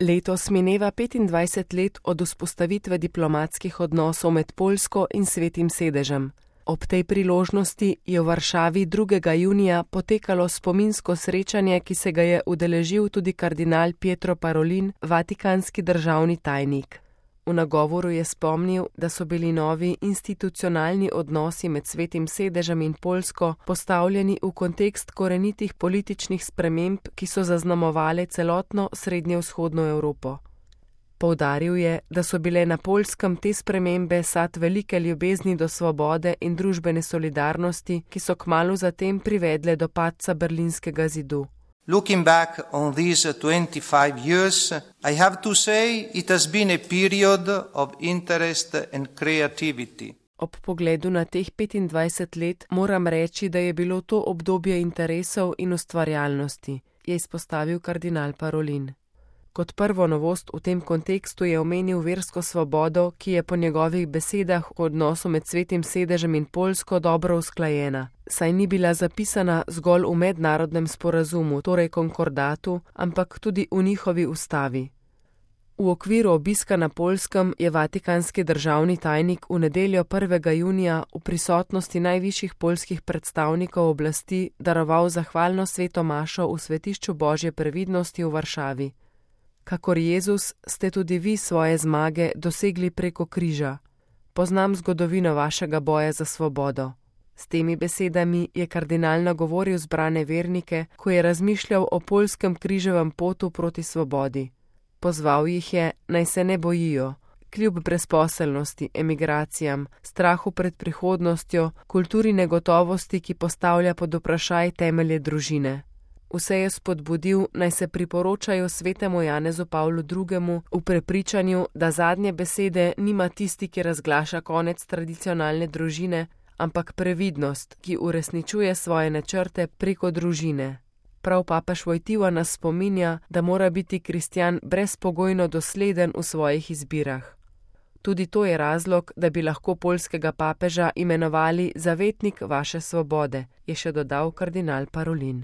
Letos mineva 25 let od vzpostavitve diplomatskih odnosov med Poljsko in Svetim sedežem. Ob tej priložnosti je v Varšavi 2. junija potekalo spominsko srečanje, ki se ga je udeležil tudi kardinal Pietro Parolin, vatikanski državni tajnik. V nagovoru je spomnil, da so bili novi institucionalni odnosi med Svetim sedežem in Poljsko postavljeni v kontekst korenitih političnih sprememb, ki so zaznamovale celotno srednjevzhodno Evropo. Poudaril je, da so bile na Poljskem te spremembe sad velike ljubezni do svobode in družbene solidarnosti, ki so kmalu zatem privedle do padca Berlinskega zidu. Looking back on these 25 years, I have to say it has been a period of interest and creativity. Ob pogledu na teh 25 let moram reči, da je bilo to obdobje interesov in ustvarjalnosti, je izpostavil kardinal Parolin. Kot prvo novost v tem kontekstu je omenil versko svobodo, ki je po njegovih besedah v odnosu med Svetim sedežem in Poljsko dobro usklajena, saj ni bila zapisana zgolj v mednarodnem sporazumu, torej konkordatu, ampak tudi v njihovi ustavi. V okviru obiska na Poljskem je vatikanski državni tajnik v nedeljo 1. junija v prisotnosti najvišjih poljskih predstavnikov oblasti daroval zahvalno sveto mašo v svetišču Božje previdnosti v Varšavi. Kakor Jezus ste tudi vi svoje zmage dosegli preko križa. Poznam zgodovino vašega boja za svobodo. S temi besedami je kardinal nagovoril zbrane vernike, ko je razmišljal o poljskem križevem potu proti svobodi. Pozval jih je, naj se ne bojijo, kljub brezposelnosti, emigracijam, strahu pred prihodnostjo, kulturi negotovosti, ki postavlja pod vprašaj temelje družine. Vse je spodbudil, naj se priporočajo svetemu Janezu Pavlu II. V prepričanju, da zadnje besede nima tisti, ki razglaša konec tradicionalne družine, ampak previdnost, ki uresničuje svoje načrte preko družine. Prav papež Wojtyła nas spominja, da mora biti kristjan brezpogojno dosleden v svojih izbirah. Tudi to je razlog, da bi lahko poljskega papeža imenovali zavetnik vaše svobode, je še dodal kardinal Parolin.